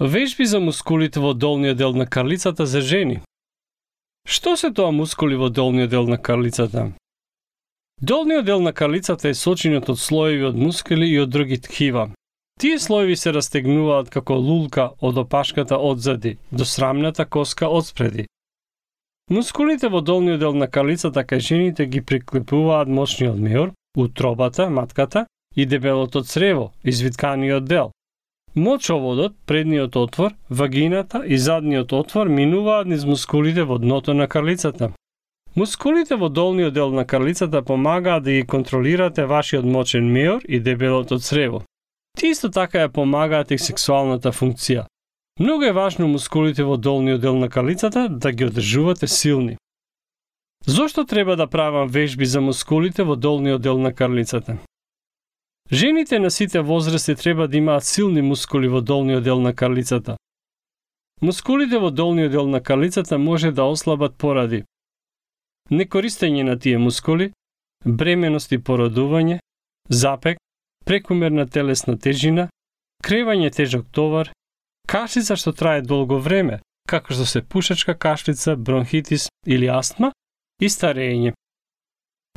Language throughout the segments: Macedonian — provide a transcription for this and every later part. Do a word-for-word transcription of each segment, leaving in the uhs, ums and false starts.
Вежби за мускулите во долниот дел на карлицата за жени. Што се тоа мускули во долниот дел на карлицата? Долниот дел на карлицата е сочинет од слоеви од мускули и од други ткива. Тие слоеви се растегнуваат како лулка од опашката одзади до срамната коска одспреди. Мускулите во долниот дел на карлицата кај жените ги приклепуваат мочниот меор, утробата, матката и дебелото црево, извитканиот дел. Мочоводот, предниот отвор, вагината и задниот отвор минуваат низ мускулите во дното на карлицата. Мускулите во долниот дел на карлицата помагаат да ги контролирате вашиот мочен меор и дебелото црево. Тие исто така ја помагаат и сексуалната функција. Многу е важно мускулите во долниот дел на карлицата да ги одржувате силни. Зошто треба да правам вежби за мускулите во долниот дел на карлицата? Жените на сите возрасти треба да имаат силни мускули во долниот дел на карлицата. Мускулите во долниот дел на карлицата може да ослабат поради некористење на тие мускули, бременост и породување, запек, прекумерна телесна тежина, кревање тежок товар, кашлица што трае долго време, како што се пушачка кашлица, бронхитис или астма и старење.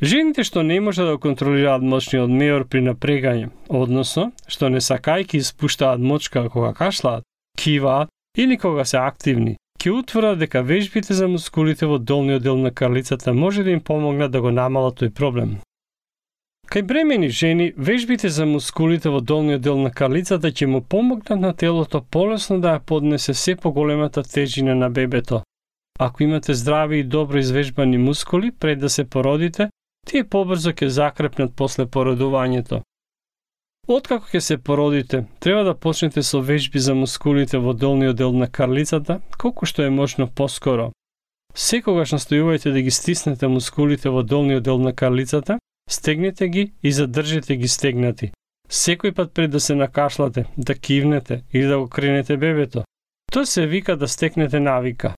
Жените што не може да контролираат мочниот меор при напрегање, односно што не сакајки испуштаат мочка кога кашлаат, киваат или кога се активни, ќе утврдат дека вежбите за мускулите во долниот дел на карлицата може да им помогнат да го намалат тој проблем. Кај бремени жени, вежбите за мускулите во долниот дел на карлицата ќе му помогнат на телото полесно да ја поднесе се поголемата тежина на бебето. Ако имате здрави и добро извежбани мускули пред да се породите, тие побрзо ќе закрепнат после породувањето. Откако ќе се породите, треба да почнете со вежби за мускулите во долниот дел на карлицата, колку што е можно поскоро. Секогаш настојувајте да ги стиснете мускулите во долниот дел на карлицата, стегнете ги и задржете ги стегнати. Секој пат пред да се накашлате, да кивнете или да го кренете бебето. Тоа се вика да стекнете навика.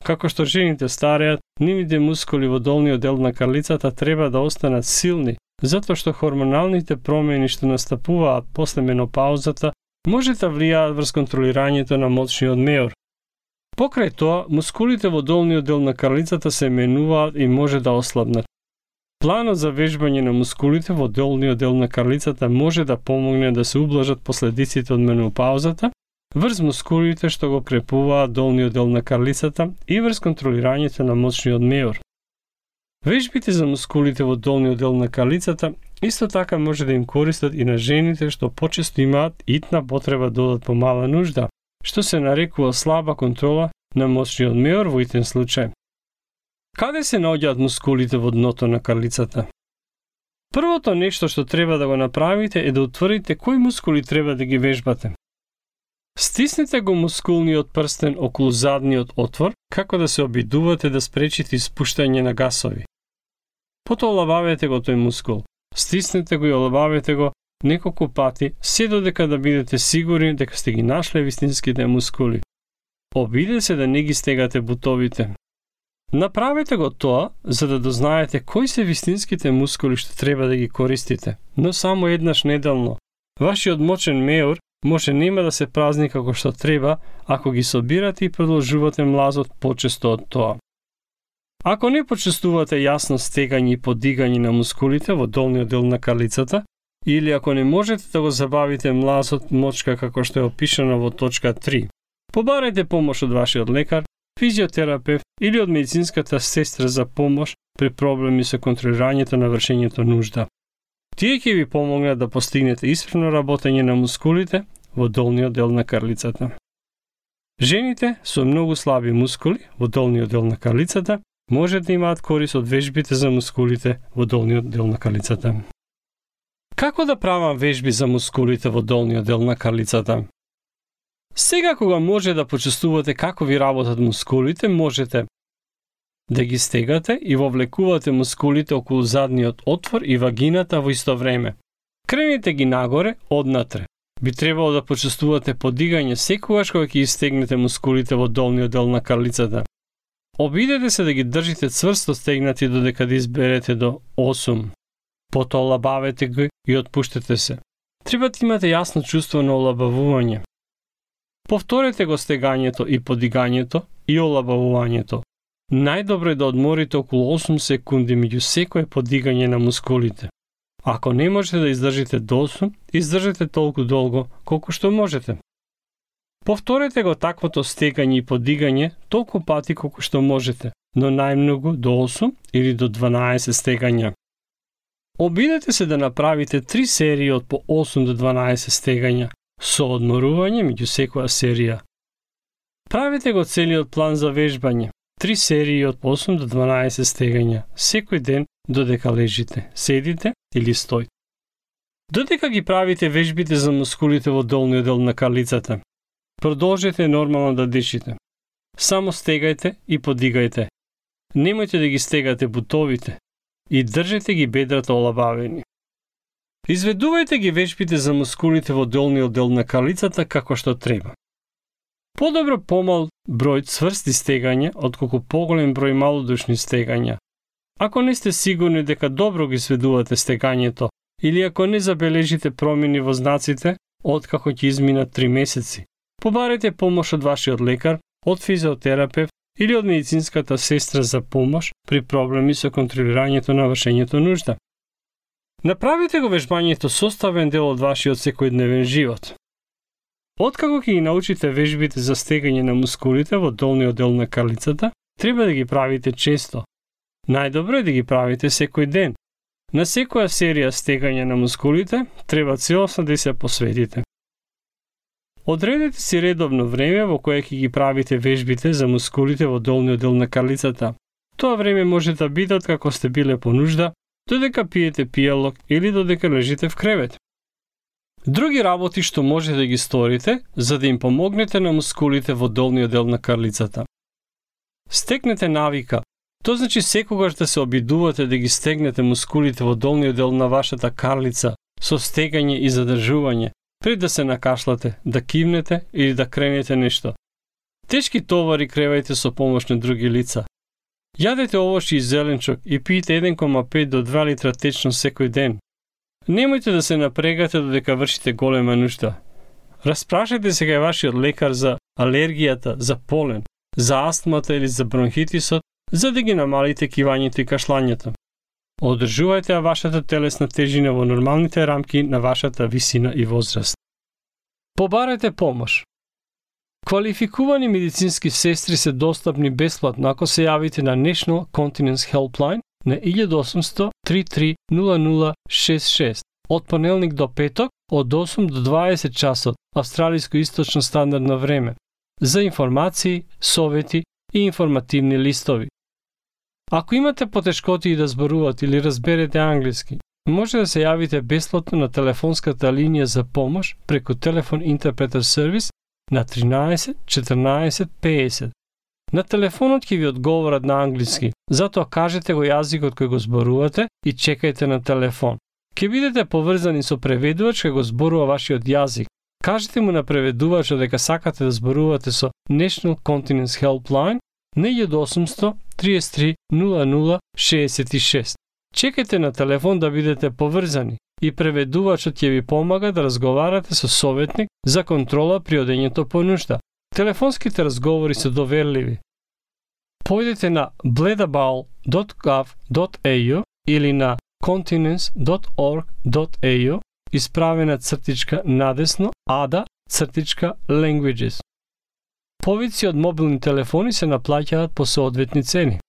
Како што жените стареат, нивните мускули во долниот дел на карлицата треба да останат силни, затоа што хормоналните промени што настапуваат после менопаузата може да влијаат врз контролирањето на мочниот меор. Покрај тоа, мускулите во долниот дел на карлицата се менуваат и може да ослабнат. Планот за вежбање на мускулите во долниот дел на карлицата може да помогне да се ублажат последиците од менопаузата, врз мускулите што го крепуваат долниот дел на карлицата и врз контролирањето на мочниот меор. Вежбите за мускулите во долниот дел на карлицата исто така може да им користат и на жените што почесто имаат итна потреба да одат по мала нужда, што се нарекува слаба контрола на мочниот меор во итен случај. Каде се наоѓаат мускулите во дното на карлицата? Првото нешто што треба да го направите е да утврдите кои мускули треба да ги вежбате. Стиснете го мускулниот прстен околу задниот отвор, како да се обидувате да спречите испуштање на гасови. Потоа олабавете го тој мускул. Стиснете го и олабавете го неколку пати, се додека да бидете сигурни дека сте ги нашле вистинските мускули. Обидете се да не ги стегате бутовите. Направете го тоа, за да дознаете кои се вистинските мускули што треба да ги користите, но само еднаш неделно. Вашиот мочен меор може нема да се празни како што треба, ако ги собирате и продолжувате млазот почесто од тоа. Ако не почувствувате јасно стегање и подигање на мускулите во долниот дел на карлицата, или ако не можете да го забавите млазот мочка како што е опишано во точка три, побарајте помош од вашиот лекар, физиотерапевт или од медицинската сестра за помош при проблеми со контролирањето на вршењето нужда. Тие ќе ви помогнат да постигнете исправно работење на мускулите во долниот дел на карлицата. Жените со многу слаби мускули во долниот дел на карлицата може да имаат корист од вежбите за мускулите во долниот дел на карлицата. Како да правам вежби за мускулите во долниот дел на карлицата? Сега кога може да почувствувате како ви работат мускулите, можете да ги стегате и вовлекувате мускулите околу задниот отвор и вагината во исто време. Кренете ги нагоре, однатре. Би требало да почувствувате подигање секогаш кога ќе истегнете мускулите во долниот дел на карлицата. Обидете се да ги држите цврсто стегнати додека да изберете до осум. Потоа олабавете ги и отпуштете се. Треба да имате јасно чувство на олабавување. Повторете го стегањето и подигањето и олабавувањето. Најдобро е да одморите околу осум секунди меѓу секое подигање на мускулите. Ако не можете да издржите до осум, издржете толку долго колку што можете. Повторете го таквото стегање и подигање толку пати колку што можете, но најмногу до осум или до дванаесет стегања. Обидете се да направите три серии од по осум до дванаесет стегања, со одморување меѓу секоја серија. Правете го целиот план за вежбање, три серии од по осум до дванаесет стегања, секој ден додека лежите, седите или стоите. Додека ги правите вежбите за мускулите во долниот дел на карлицата, продолжете нормално да дишите. Само стегајте и подигајте. Немојте да ги стегате бутовите и држете ги бедрата олабавени. Изведувајте ги вежбите за мускулите во долниот дел на карлицата како што треба. Подобро помал број цврсти стегања отколку поголем број малодушни стегања. Ако не сте сигурни дека добро ги сведувате стегањето или ако не забележите промени во знаците откако ќе изминат три месеци, побарете помош од вашиот лекар, од физиотерапевт или од медицинската сестра за помош при проблеми со контролирањето на вршењето нужда. Направете го вежбањето составен дел од вашиот секојдневен живот. Откако ќе ги научите вежбите за стегање на мускулите во долниот дел на карлицата, треба да ги правите често. Најдобро е да ги правите секој ден. На секоја серија стегање на мускулите треба целосно да се посветите. Одредете си редовно време во кое ќе ги правите вежбите за мускулите во долниот дел на карлицата. Тоа време може да биде откако сте биле по нужда, додека пиете пијалок или додека лежите в кревет. Други работи што можете да ги сторите за да им помогнете на мускулите во долниот дел на карлицата. Стекнете навика. Тоа значи секогаш да се обидувате да ги стегнете мускулите во долниот дел на вашата карлица со стегање и задржување, пред да се накашлате, да кивнете или да кренете нешто. Тешки товари кревајте со помош на други лица. Јадете овошје и зеленчок и пиете еден кома пет до два литра течно секој ден. Немојте да се напрегате додека вршите голема нужда. Распрашајте се кај вашиот лекар за алергијата, за полен, за астмата или за бронхитисот, за да ги намалите кивањето и кашлањето. Одржувајте вашата телесна тежина во нормалните рамки на вашата висина и возраст. Побарете помош. Квалификувани медицински сестри се достапни бесплатно ако се јавите на National Continence Helpline на еден осумсто три три нула нула шест шест од понеделник до петок од осум до дваесет часот австралиско-источно стандардно време за информации, совети и информативни листови. Ако имате потешкоти да зборувате или разберете англиски, може да се јавите бесплатно на телефонската линија за помош преку телефон интерпретер сервис на тринаесет четрнаесет песет. На телефонот ќе ви одговорат на англиски, затоа кажете го јазикот кој го зборувате и чекајте на телефон. Ќе бидете поврзани со преведувач кој го зборува вашиот јазик. Кажете му на преведувачот дека сакате да зборувате со National Continence Helpline на еден осумсто триесет три нула нула шеесет и шест. Чекајте на телефон да бидете поврзани и преведувачот ќе ви помага да разговарате со советник за контрола при одењето по нужда. Телефонските разговори се доверливи. Појдете на bledabowl dot gov dot a u или на continence dot org dot a u исправена цртичка надесно ада цртичка languages. Повици од мобилни телефони се наплаќаат по соодветни цени.